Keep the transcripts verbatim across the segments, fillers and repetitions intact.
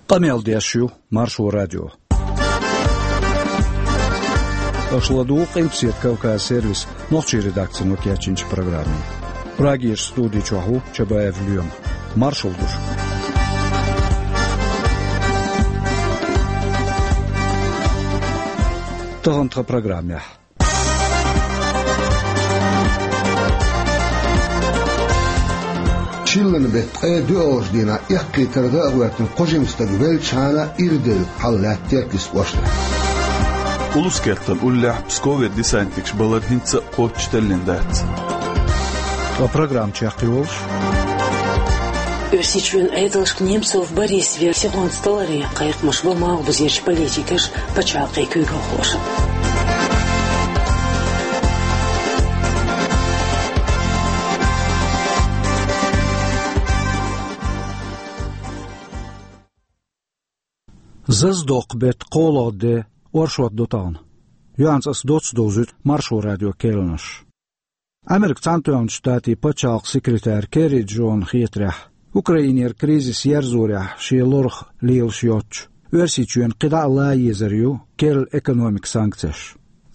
Къамел деш ю Маршо радио. Аша ладугӀу Къилбаседа Кавказ сервисан нохчийн редакцино кечйинчу программе. Прагерчу студи чохь ву Чабаев Лоьма. Маршалла ду шуьга. Тахана тхан программехь. Чиллан беттан ткъе доьалгӀачу дийнахь эккхийтар гӀа а гӀоьртина кхо жима стаг веллачхьана ирделла хьал лаьтта Теркйист кӀоштахь. Улус-кхеттан уллехь Пскове десантникаш балар хӀинца а кхоччуш теллина дац. Ткъа программа чекхйолуш. Оьрсийчоьнан Ӏедалшка Немцов Борис вер сихонца таларе кхайкхамаш бо малхбузерчу политикаша, пачхьалкхийн куьйгалхоша. Зазадоккху беттан кхоалгӀа де, оршот ду тахана. Юьхьанца аса доцца довзуьйту Маршо радион керланаш. Америкин Цхьаьнатоьхначу Штатийн пачхьалкхан секретарь Керри Джона хетарехь, Украинера кризис ерзорехь шен лорах лелаш йоцчу Оьрсийчоьнан кхидӀа а лан езар ю керла экономикан санкцеш.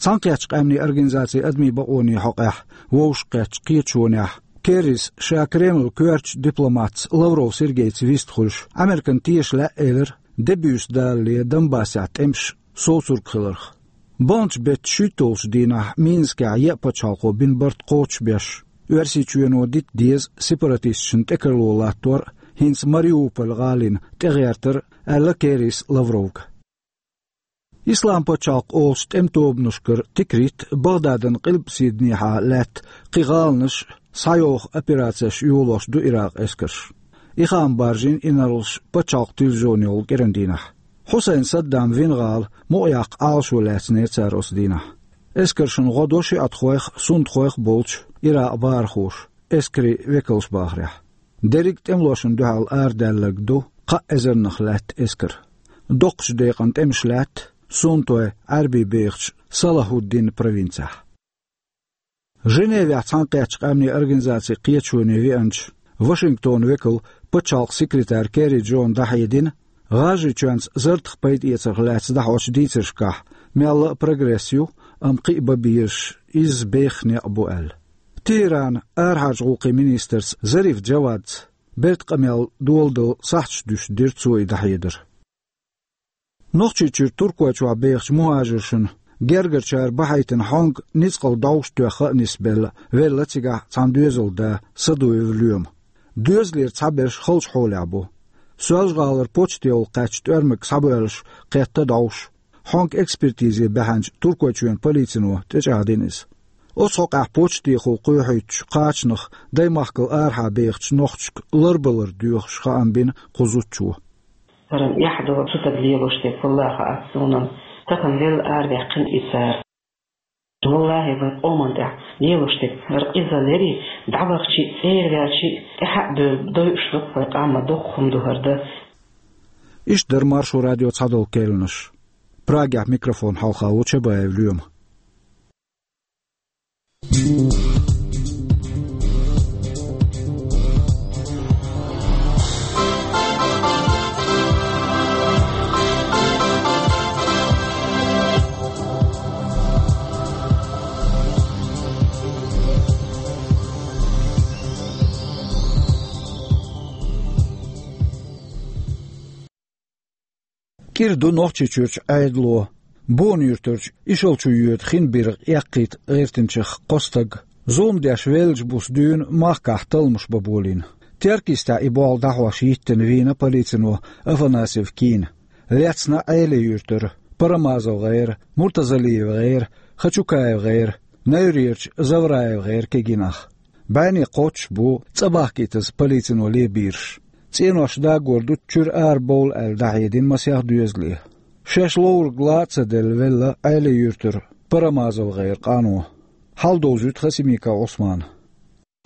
Цхьаьнакхеттачу Къаьмнийн Организацин адамийн бакъонийн хьокъехь вовшахкхеттачу кхеташонехь Керрис ша Кремлан коьртачу дипломатца Лавров Сергейца вист хуьлуш, Американа теша лаьа элира, де буьйса далале Донбассехь тӀемаш совцорг хиларх. Баханчу беттан шуьйтталгӀачу дийнахь Минскехь еа пачхьалкхо бина барт кхочушбеш, Оьрсийчоьно дита деза сепаратисташна тӀекарло латтор а, хӀинца Мариуполь гӀалина тӀегӀертар а, аьлла Керрис Лавровга. Ислам-пачхьалкх олучу тӀеман тобанашкара Тикрит а, Багдадан къилбаседанехьа лаьтта кхин гӀаланаш а схьайоху операцеш йолош ду Иракъан эскарш. И хаам баржийна инарлаш пачхьалкхан телевизионехула кӀиран дийнахь. Хьусайн Саддам вина гӀала мукъаяккха Ӏалашо лаьцнера цара оцу дийнахь. Эскаршна гӀо до шиӀатхойх а, суннатхойх а болчу Иракъан бахархоша, эскарийн векалша бахарехь. Дерриг а тӀемалошна дуьхьал арадаьлларг ду кхаа эзарнах лаьтта эскар. Доккхачу декъана тӀемаш лаьтта суннатой Ӏаьрбий бехачу Салахуддин провинцехь. Женевехь Цхьаьнакхеттачу Къаьмнийн Организацин кхеташоне веанчу Вашингтонан векало пачхьалкхан секретарь Керри Джона дӀахьедина, ГӀажарийчоьнца зардах пайдаэцарх лаьцна дӀахьочу дийцаршкахь мелла а прогресс ю, амма кхин а бан безаш изза бехха некъ бу аьлла. ТехӀаранан арахьарчу гӀуллакхийн министрца Зариф Джавадца бертан къамел доладала сахьташ дуьсуш дира цо и дӀахьедар. Нохчийчуьра Туркойчохь бехачу мухӀажаршна гергарчара бахьийтина хьонга ницкъала дӀовш тоьхна а нисбелла, велла цигахь цхьана доьзалан да Садуев Лоьма. Доьзалера цхьаберш халчу хьолехь бу. Соьлжа-ГӀалара почтехула кхаьчна тӀоьрмиг схьабоьллуш кхетта дӀовш. Хьонга экспертизе баьхьначу Туркойчоьнан полицино тӀечӀагӀдина иза. Оцу хьокъехь почтехула кхоьхьуьйтучу кхачанах даймахкал арахьа бехачу нохчашка ларбалар доьхуш хаам бина кху зудчо. ХӀара эхь ду, цу стага лелош дерг хӀаллакьхьа аьлла суна, тахана велла араваьккхина и цара. ВаллахӀи, вайн къоман тӀехь лелош дерг хӀара къизаллерий, дӀавахчий, цӀера ваьлчий, тӀаьхьа а бевлла, дойуш ду вайн къам, доккха хӀума ду хӀара дан. Иштта дара Маршо радион цхьадолу керланаш. Прагехь микрофон хьалха ву Чабаев Лоьма. КӀира ду Нохчийчуьрчу Ӏедало. Бона-Юьртарчу Ишалчу йоьду хин биргӀа эккхийта гӀиртинчех кхо стаг зулам деш веллачу буса дуьйна махкахь талламаш бан болийна. Теркйистехь и болх дӀахьош йиттина вийна полицино Афанасьев Кийна. Лецна Ӏелин-Юьртара, Парамазов-ГӀера, Муртазалиев-ГӀера, Хачукаев-ГӀера, Найрерчу Завраев-ГӀера кегий нах. БӀаьнне кхоччуш бу цӀа бахкийтаза полицино лебийраш. ЦӀенош дагор ду чуьра арабовла аьлла дӀахьедина масех доьзале. Шаьш ловрг ла а ца делла велла Ӏелин-Юьртара Парамазов-ГӀеран къано. Хьал довзуьйту Хасимиков Ӏусмана.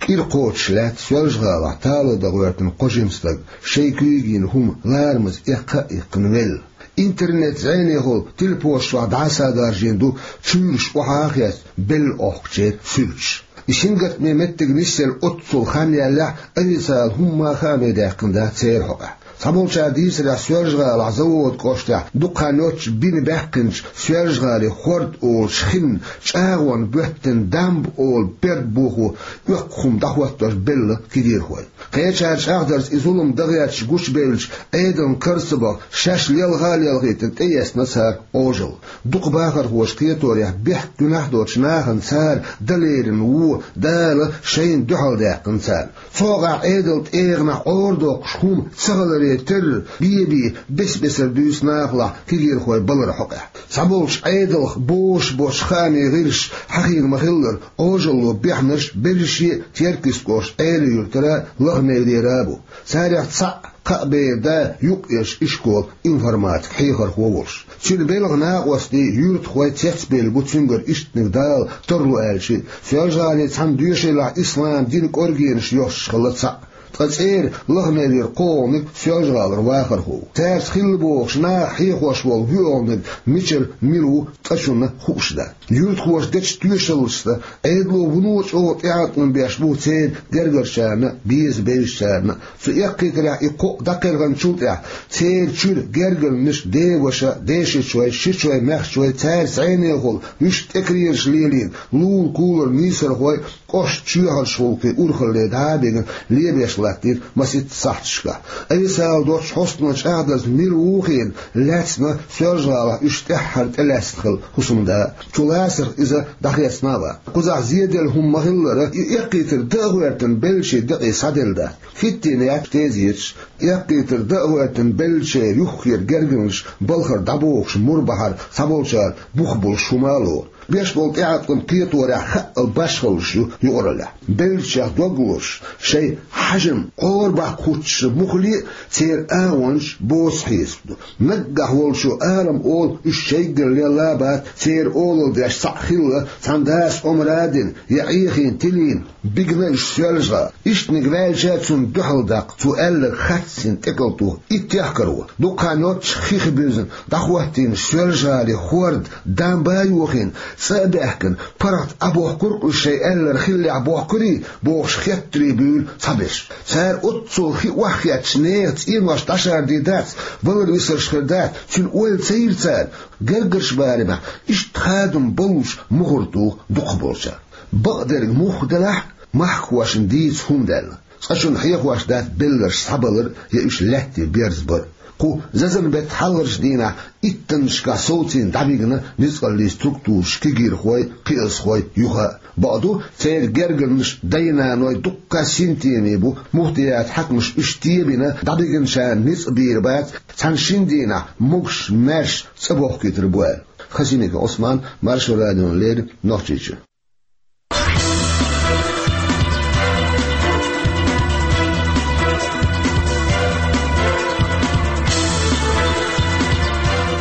КӀира кхочуш лаьтта Соьлжа-ГӀалахь талоран дан гӀоьртина кхо жима стаг шайн куьйга йина хӀума ларамаза эккха а иккхина велла. Интернет зӀенехула телепошна чохь дӀасадаржийна ду чуьйраш охьа а хецна белла Ӏохкучеран суьрташ. И сингаттаме меттиг нисъелла оццул хан яьллехь а, официалан хӀумма а хааме даьккхина дац церан хьокъехь. Цхьаболчара дийцарехь, Соьлжа-ГӀалахь Завода кӀоштехь дукха хан йоццуш бина баьккхинчу Соьлжа-ГӀалин хӀорд олучу хин чӀагӀонна боьттина дамба олу берд бохо оьккху хӀума дӀахӀоттош белла кегийрхой. Кхечара чӀагӀдарца и зулам дан гӀерташ гучубевлча, Ӏедална кара ца баха, шаьш лелха а лелхийтина, тӀеэцна цара Ӏожалла. Дукха бахархоша кхеторехь, бехк гуьнахь доцучу нахана цара дан лерина вон Дала шайна дуьхьал даьккхина царна. Цу хьокъехь Ӏедалан тӀегӀанехь Ӏорадоккхуш хӀума ца хиларе терра, бен-бен бес-бесара дуьйцу нахалахь кегийрхой балар хьокъехь. Цхьаболчу Ӏедалх бозуш боцчу хаамийн гӀирсаша хьахийна ма-хиллара, Ӏожалло бехнарш берриге а Теркйист кӀоштан Ӏела-Юьртара а, Лаха-Неврера а бу. Царех цхьаъ кхаа бер да юккъерчу ишколан информатикан хьехархо волуш. Цуьнан белхан накъостий, юьртахой цецбевлла бу цуьнгара иштаниг Дала тарло аьлча а. Соьлжа-ГӀалин цхьана доьшийлахь ислам динан кӀоргенаш йоьссуш хилла цхьаъ. Ткъа цӀера Лаха-Неврера кхоалгӀаниг, Соьлжа-ГӀалара вахархо ву. Цаьрца хилла бохуш наха хьехош волу воьалгӀаниг мичара, мила ву цкъачунна хууш дац. Юьртахоша дечу тоьшаллашца, Ӏедало вуно а чӀогӀа тӀеӀаткъам беш бу церан гергарчарна а, беза бевзачарна а. Цу эккхийтарехь и кхоъ дӀакхелхинчул тӀаьхьа церан чуьра гергарнаш деваша, дешичой, шичой, маьхчой, цаьрца зӀенехула, вуьшта тӀекеренаш лелийна, лулахь-кулахь нийсархой, кӀоштан чоьхьарчу гӀуллакхийн урхалле дӀа а бигина, лебеш латтийра масийтта сахьташкахь. Айса ала доцчу хьостано чӀагӀдарца, мила ву хиъна, лаьцна Соьлжа-ГӀалахь уьш тӀаьххьара тӀелаьцна хилла хӀусамда а. Цу лацарх иза дӀахецна а вац. Кхузахь зеделла хӀума ма-хиллара, и эккхийтар дан а гӀоьртина беллачийн декъе схьаделла дац. ХӀиттийна яц тезеташ, эккхийтар дан а гӀоьртина беллачеран юххера гергарнаш балхара дӀабохуш мур бахьара цхьаболчара бух болуш хӀума а лору. Беш болу тӀеӀаткъам кхеторехь хаъал башхаллаш ю юкъараллехь. Беллачех дог лозуш, шайн хьежам къорбаккха хӀуттуш муххале а, церан агӀончаш боцу хьесап ду. Наггахь волчо алам олу, уьш шайгара лелла а бац, церан олалла деш цхьаъ хилла, цхьана дас омра а дина, я Ӏехийна тилийна, бигна уьш Соьлжа-ГӀала. Иштаниг ваьлча а цунна дуьхьал даккха, цо аьлларг хаттийна тӀекӀалтӀо, и техкаро. Дукха хан йоццуш хих буьзна дӀахӀоттийна Соьлжа-ГӀалин хӀорд дамба а йохийна, цӀа а баьхкина, паргӀат Ӏа бохкург а, уьш шайн аьлларг хиллехь бохкурий бохуш хеттарий буьйлу цхьаберш. Цара оццул хи охьахеттачу нехан цӀенош дӀашарди дац, валар-висарш хир дац, цуьнан ойла ца йира цара, гергарчу барамехь иштта хадам боллуш мухӀар туху дукхахболчара. Бакъдерг муха делахь а, махкахошна дийца хӀума даьлла. Цкъачунна хьехош дац белларш схьабалар я уьш лаьтте берзабар. Кху зазан беттан хьалхарчу дийнахь иттаннашкахь совцийна дӀабигна ницкъаллийн структураш кегийрхой, кхиазхой юха а. Бакъду, церан гергарнаш дай-наной дуккха а синтеме бу, муфтиятан хьаькамаша уьш тебина, дӀабигначарна ницкъ бийр бац, цхьана-шина дийнахь могуш-маьрша цӀа бохкуьйтур бу аьлла. Хасимиков Ӏусман, Маршо радиона леррина, Нохчийчуьра.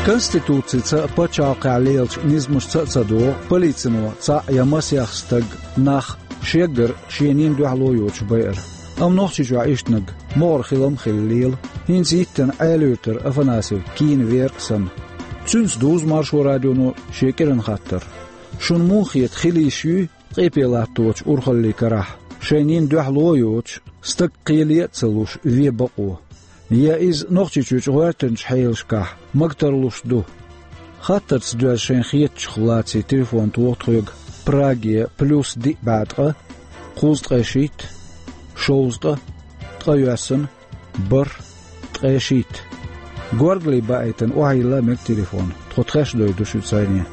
Конституцица а, пачхьалкхехь лелачу низамашца а ца догӀу полицино цхьаъ я масех стаг, нах, шеггара шен нин дуьхьало йоцуш байар. Амма Нохчийчохь иштаниг могӀара хилам а хилла лела, хӀинца йиттина Ӏелуьйтар Афанасьев кийна вер а санна. Цуьнца дузу Маршо радионо шен кӀиран хаттар. Шуна муха хета, хила йиш юй ткъе пхи латточу урхаллийн карахь шайн нин дуьхьало а йоцуш, стаг кхеле а ца луш вен бакъо? Я иза Нохчийчуьрчу гӀоьртинчу хьелашкахь магтарлуш ду? Хаттарца доьзна шайн хетачух лаций телефон тоха тхоьга Праге: плюс диъ бӀе ткъа, кхузткъе шийтта, шовзткъа, ткъайоьсна, бархӀ, ткъе шийтта. Горгали баийтина охьайилла мега телефон, тхо тхаьш дойду шуьца зӀене.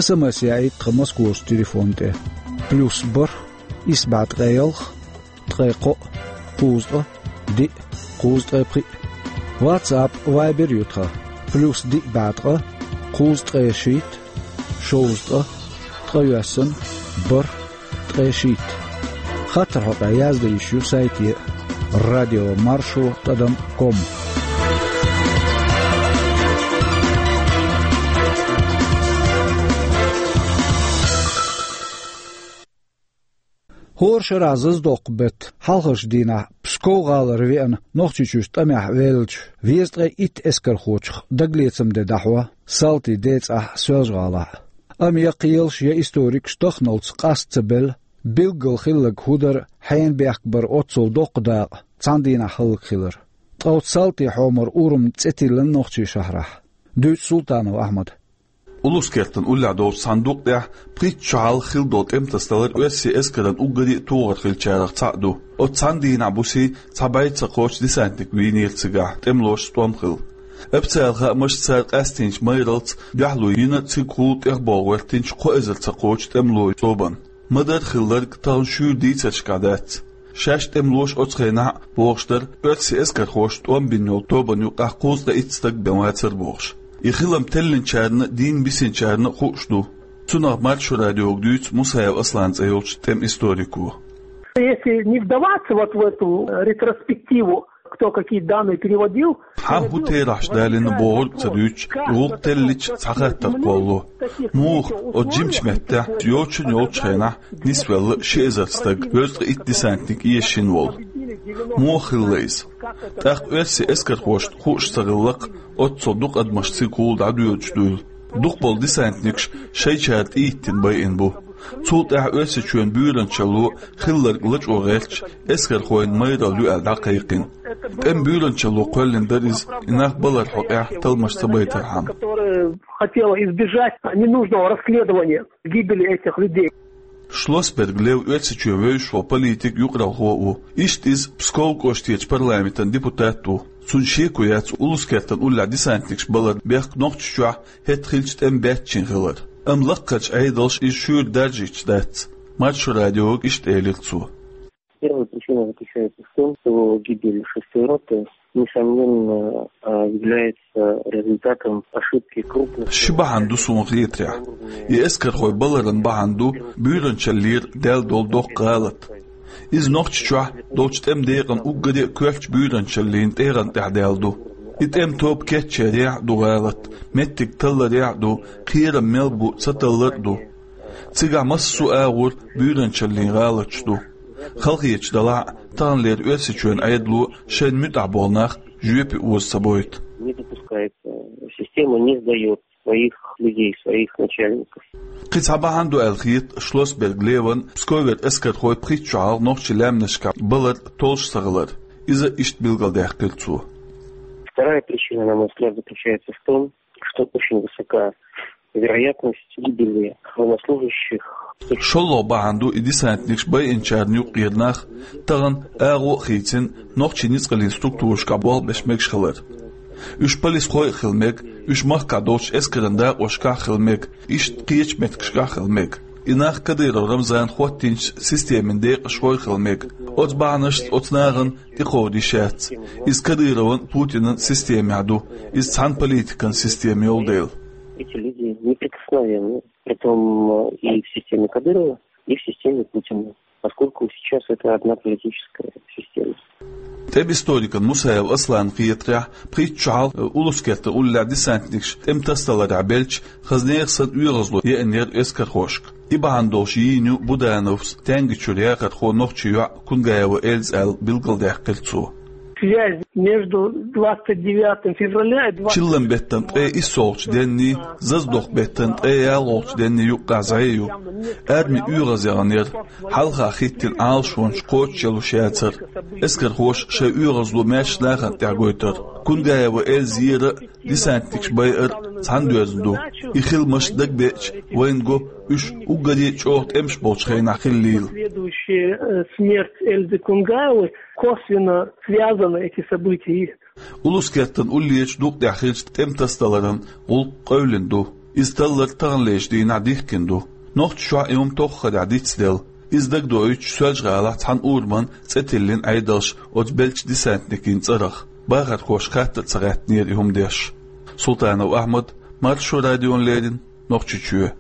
СМС яийта тхан Москварчу телефон тӀе: плюс бархӀ, исс бӀе ткъе ялх, ткъе кхоъ, кхузткъа, диъ, кхузткъе пхиъ. WhatsApp, Viber ю тхан: плюс диъ бӀе ткъа, кхузткъе шийтта, шовзткъа, ткъайоьсна, бархӀ, ткъе шийтта. Хаттар хьокъехь яздан йиш ю сайте: радио маршо тӀадам ком. ХӀора шарахь зазадоккху беттан хьалхарчу дийнахь Псков-гӀалара веана Нохчийчуьрчу тӀамехь веллачу везткъе итт эскархочух дагалецаман де дӀахьо салтий ден цӀахь Соьлжа-ГӀалахь. Амма я кхелаш, я историкаш таханалц къаста ца белла, билггал хилларг хӀун дара хьенан бехк бара оццул доккха дакъа цхьана дийнахь хӀаллакьхилар. Ткъа оцу салтий хьомар урам цӀе тиллина Нохчийчоьнна. Дуьйцу Султанов Ахьмада. Улус-кертан уллехь долчу цхьана дукъ тӀехь пхийтта шо хьалха хилла долу тӀемтасадалар оьрсийн эскаран уггаре а тухар хиллачарах цхьаъ ду. Оцу цхьана дийнахь бусий цхьа бӀе ца кхочу десантник вийнера цигахь, тӀемалошца тӀом хилла. Официалан хаамашца, цара къастийначу майралц дуьхьало йина цигахула тӀехболу гӀоьртинчу кхо эзар ца кхочу тӀемалойн цӀобанна. Ма-дарра хилларг тахана шуьйра дийцаршкахь дац. Шаьш тӀемалоша оцу хенахь а бохуш дара, оьрсийн эскархошна тӀом бина йолу тобанна юкъахь кхузткъе итт стаг бен вацара бохуш. И хилам теллинчарна а, дийна бисинчарна а хууш ду. Цунах Маршо радиога дуьйцу Мусаев Аслан цӀе йолчу тӀеман историко. Если не вдаваться вот в эту ретроспективу, кто какие данные приводил, Хьан хӀун терахьаш далийна бохург а ца дуьйцуш, гӀуллакх теллича цхьа хаттар кхоллало. Муха оцу жимачу меттехь йочун йолчу хенахь нисвелла ши эзар стаг, везткъе итт десантник эшийна волу? Муха хилла иза? ТӀаккха оьрсийн эскархошна хууш ца хилла-кх, оццул дукха адамаш цигахула дӀадоьдуш дуйла. Дукхахболу десантникаш шайчара тӀехӀиттина байина бу. Цул тӀаьхьа Оьрсийчоьнан буьйранчалло хилларг лачкъо гӀерташ, эскархойн майралла ю аьлла дӀакхайкхина. ТӀеман буьйранчалло кхоьллина дара иза, и нах баларан хьокъехь талламаш ца байтархьама. Которая хотела избежать ненужного расследования гибели этих людей. Шлоссберг Лев Оьрсийчоьнан вевзаш волу политик, юкъаралхо а ву. Иштта иза Пскован кӀоштарчу парламентан депутат а ву. Цуьнан шеко яц улус-кертан уллехь десантникаш балар бехк Нохчийчохь хӀетахь хиллачу тӀеман баьччина хилар. Амма лаккхарчу Ӏедалша иза шуьйра даржийта дац. Маршо радиога иштта элира цо. Первая причина заключается в том, что гибель шестой роты, несомненно, а, является результатом ошибки крупных... Ши бахьана ду суна хетарехь. И эскархой баларан бахьана ду буьйранчаллера даьлла долу доккха гӀалат. Иза Нохчийчохь долчу тӀеман декъан уггаре а коьртачу буьйранчаллин тӀегӀан тӀехь даьлла ду. И тӀеман тоба кечъярехь а ду гӀалат, меттиг талларехь а ду, кхерам мел бу ца таллар а ду. Цигахь массо а агӀор буьйранчаллин гӀалаташ ду. Халахеташ далахь а, таханлера Оьрсийчоьнан Ӏедало шайна муьтӀахь болу нах жоьпе оза ца бойту. Не допускается. Система не сдаёт своих людей, своих начальников. Кхин цхьа бахьана ду аьлла хета Шлоссберг Леван Псковера эскархой пхийтта шо хьалха нохчийн лаьмнашкахь балар толлуш ца хилар. Иза иштта билгалдаьккхира цо. Вторая причина, на мой взгляд, заключается в том, что очень высока вероятность гибели военнослужащих. ШолгӀа бахьана ду и десантникаш байинчарна юккъера нах тахана агӀо а хийцина, нохчийн ницкъаллин структурашкахь болх беш мегаш хилар. Уьш полисхой а хила мега, уьш махкахь долчу эскаран дакъошкахь а хила мега, иштта кхечу меттигашкахь а хила мега. И нах Кадыров Рамзана хӀоттийначу системин декъашхой а хила мега. Оцу бахьанашца оцу нахана тӀекховда йиш яц. Иза Кадыровн а, Путинан а системехь ду. Иза цхьана политикан система йолу дела. Эти люди неприкосновенны. Притом, э, и в системе Кадырова, и в системе Путина, поскольку сейчас это одна политическая система. ТӀеман историкна Мусаев Асланна хетарехь, пхийтта шо хьалха, э, улус-кертан уллехь десантникаш тӀеман тасадаларехь белча, хаза нехан санна оьгӀазло еанера эскархошка. И бахьана долуш йийна ю Будановс, Тянгачуьра яхархо, нохчийн йоӀ Кунгаева Эльза аьлла билгалдаьккхира цо. Связь между двадцать девятым февраля и двадцать... Чиллан-беттан ткъе иссолгӀачу денний, Зазадоху-беттан ткъе ялхолгӀачу денний юккъехь зӀе ю. Арми оьгӀаз яханера, хьалха хӀиттина Ӏалашонаш кхочушъялуш яцара. Эскархоша шайн оьгӀазло маьрша нахана тӀехь гойтура. Кунгаева Эльзера а, десантникаш байара а цхьаьна доьзна ду. И хиламаш дагабеача, вайна го, уьш уггаре а чӀогӀа тӀемаш болчу хенахь хиллийла. Следующая, э, смерть Эльзы Кунгаевой, косвенно связаны эти события. Улус-кертан уллерчу дукъ тӀехь хиллачу тӀеман тасадаларан гӀуллакх къевлина ду. Иза таллар таханлерчу дийнахь дихкина ду. Нохчийчохь и хӀума тоххарехь дицделла. Иза дагадоуьйтуш, Соьлжа-ГӀалахь цхьана урамна цӀе тиллина Ӏедалша оцу белчу десантникийн цӀарах. Бахархошка хатта а ца гӀаьттинера и хӀума деш. Султанов Ахьмад, Маршо радиона леррина, Нохчийчоь.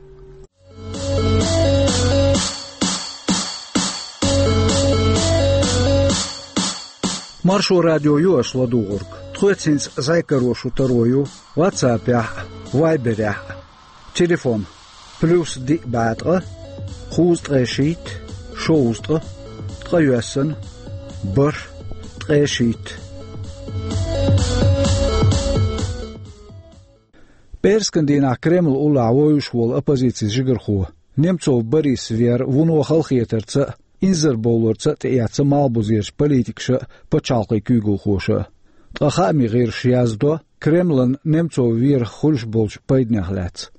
Маршо радио ю аша ладугӀург. Тхоьца хӀинца зӀе каро шун таро ю WhatsApp-ехь а, Viber-ехь а. Телефон: плюс диъ бӀе ткъа, кхузткъе шийтта, шовзткъа, ткъе йоьссана, бархӀ, ткъе шийтта. ПӀераскан дийнахь Кремлан уллехь вевзаш волу оппозицин жигархо Немцов Борис веара вуно халахетарца а, инзарбовларца а тӀеэцна малхбузерчу политикаша а, пачхьалкхийн куьйгалхоша а. Ткъа хааман гӀирсаша яздо Кремлан Немцов верах хуьлуш болчу пайданех лаьцна.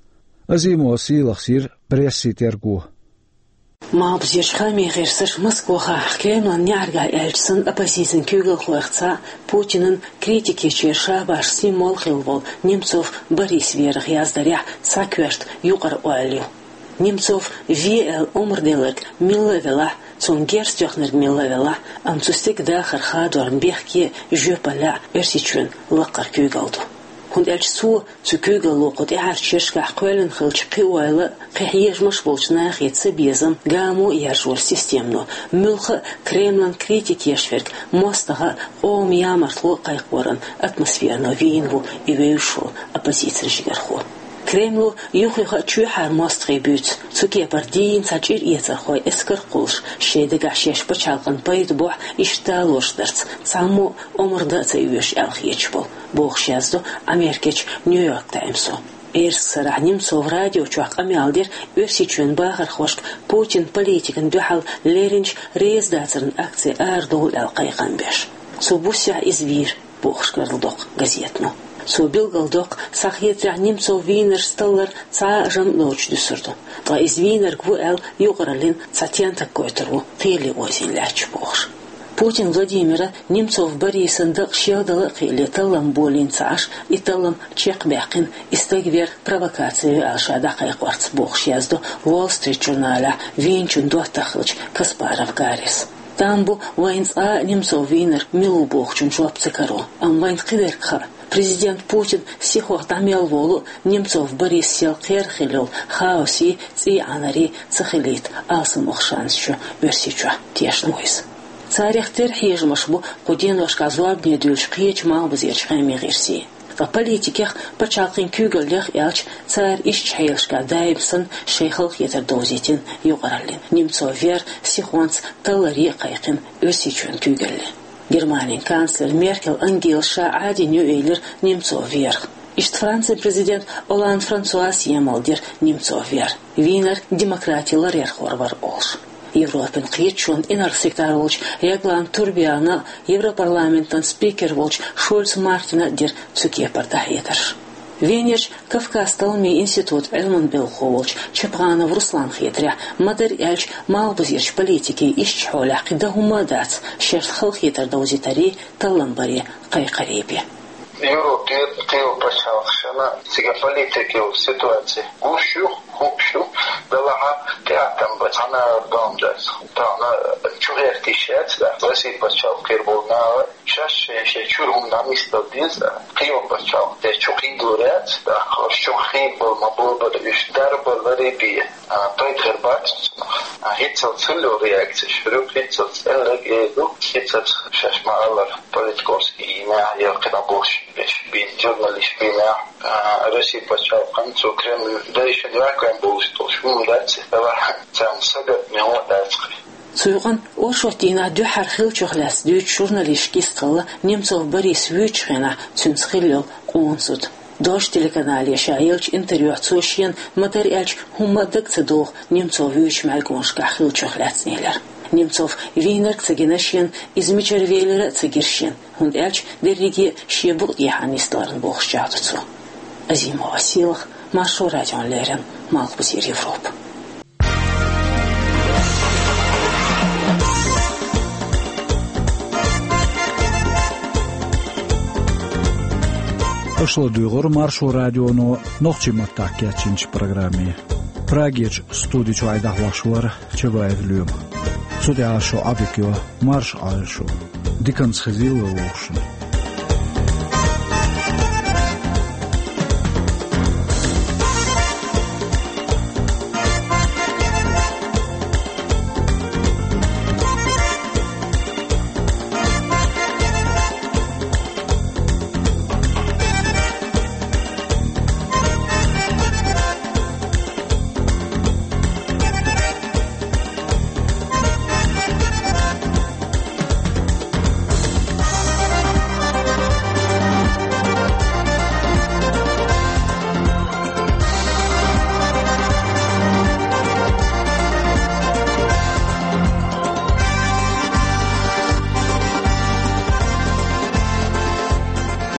Азимова Сийлахьас йира прессин терго. Малхбузерчу хааман гӀирсаша Москвахь Кремлан неӀаргахь аьлча санна оппозицин куьйгалхойх цхьаъ Путинан критикечеран шабаш символ хилла волу Немцов Борис верах яздарехь цхьа коьрта юкъара ойла ю. Немцов ве аьлла омра делларг милла а велахь, цунна герз тоьхнарг милла а велахь, амма цу стеган дахар хадорна бехке а, жоьпаллехь а Оьрсийчоьнан лаккхара куьйгалла ду. ХӀунда аьлча цо, цу куьйгалло кху тӀаьхьарчу шерашкахь кхоьллина хиллачу кхин ойла а, кхин хьежамаш болчу нахе цабезам, гамо а яржош системано, муьлхха а Кремлан критика еш верг мостагӀа а, къоман ямартло а кхайкхоран атмосферано вийна ву и вевзаш волу оппозицин жигархо. Кремло юх-юха а чоьхьара мостагӀий буьйцу, цу кепара дийна цхьа чӀир эцархой эскар а кхуллуш, шайн дагахь шаьш пачхьалкхан пайда бохь иштта далош дарца, цхьаммо а омра дан а ца оьшу аьлла хеташ болу, бохуш яздо Америкерчу Нью-Йорк Таймсо. Эрсашкарахь Немцов радио чохь къамел дира Оьрсийчоьнан бахархошка Путинан политикана дуьхьал леринчу реза дацаран акци арадовла аьлла кхайкхам беш. Цу буьйсехь иза вийра, бохуш карладоккху газетано. Цо билгалдоккху, схьахетарехь, Немцов вийнаршца таллар цхьа а жамӀ доцуш дуьсур ду. Ткъа иза вийнарг ву аьлла юкъараллин цхьа тентак гойтур ву, кхеле озийна лаьтташ бохуш. Путин Владимира Немцов Борисан дакъа шелдала а кхиале таллам болийна ца Ӏаш, и таллам чекхбаьккхина, и стаг вер провокаци ю аьлла ша дӀакхайкхорца, бохуш яздо Wall Street журналехь вийначун доттагӀа хиллачу Каспаров Гаррис. Там бу вайна цкъа а Немцов вийнарг мила ву бохучун жоп ца каро, амма вайна кхидерг хаьа. Президент Путин сихох дӀа мел волу а, Немцов Борис сел кхерах хилла йолу хаосий, цӀий Ӏанарий ца хилийта алсамох шанс ю Оьрсийчохь, тешна ву иза. Царех тера хьежамаш бу кху деношкахь зорбане дуьйлуш кхечу малхбузерчу хааман гӀирсийн. Ткъа политикех, пачхьалкхийн куьйгаллех аьлча, цара ишттачу хьелашкахь даим санна шайн халахетар довзийтина юкъараллин. Немцов вер сихонца талларе а кхайкхина Оьрсийчоьнан куьйгалле. Германин канцлер Меркель Ангела ша Ӏадийна ю элира Немцов верах. Иштта Францин президент Олланд Франсуас емал дира Немцов вер, вийнарг демократин ларъярхор вара олуш. Европин кхеташонан инарла секретарь волчу Ягланд Турбиана а, Европарламентан спикер волчу Шольц Мартина а дира цу кепара дӀахьедарш. Венерчу Кавказ талламийн институтан Ӏилманан белхахо волчу Чапханов Русланна хетарехь, ма-дарра аьлча, малхбузерчу политикийн ишттачу хьолехь кхин дан хӀумма а дац шаьш халахетар довзийтарий, таллам барий, кхайкхарий бен. Европе кхин йолу пачхьалкхашна цига политикан ситуаци гуш ю, хууш ю, делахь а тӀеӀаттам бан цхьана а дом дац. Тахана чу гӀерташ яц, да, Россин пачхьалкх кхера болу нахана шаьш шайн-шайн чуьра хӀума дӀанисдала деза, да. Кхин йолу пачхьалкх тӀе чу кхийдалур яц, да, ош чу кхийдабала ма-боххура, уьш дарба ларий бен, а, пайда хир бац цунах. А, хӀинццалц хилла йолу реакцеш, хӀинццалц элларг эр ду, хӀинццалц шаьш ма-аллара политиковский йинехь, я кхидӀа бохуш берш бен, журналисташ бинехь, а, Россин пачхьалкхана цу Кремль дайшина ваьккхина болуш долуш хӀума дац, делахь а царна сагатта мегӀо дац кхин. Цу юкъана оршот дийнахь дуьххьара хиллачух лаьцна дуьйцучу журналисташка кхайкхина Немцов Борис вуьйчу хенахь цуьнца хилла йолу къона зуда. Дождь телеканале ша еллачу интервьюхь цо шена, ма-дарра аьлча, хӀумма а дага ца догӀу Немцов вуьйчу мӀаьргонашкахь хиллачух лаьцна элира. Немцов вийнарг а ца гина шена, иза мичара велира а ца гира шена, хӀунда аьлча дерриге а шен букъа тӀехьа нисдаларна бохуш чӀагӀдо цо. Азимова Сийлахь, Маршо радиона леррина, Малхбузера Европа. Аша ладуьйгӀура Маршо радионо нохчийн маттахь кечйинчу программе. Прагерчу студи чуьра дӀахьош вара Чабаев Лоьма. Цу тӀехь шун Ӏодика йо, марша Ӏойла шу. Диканца хезийла вай вовшашна.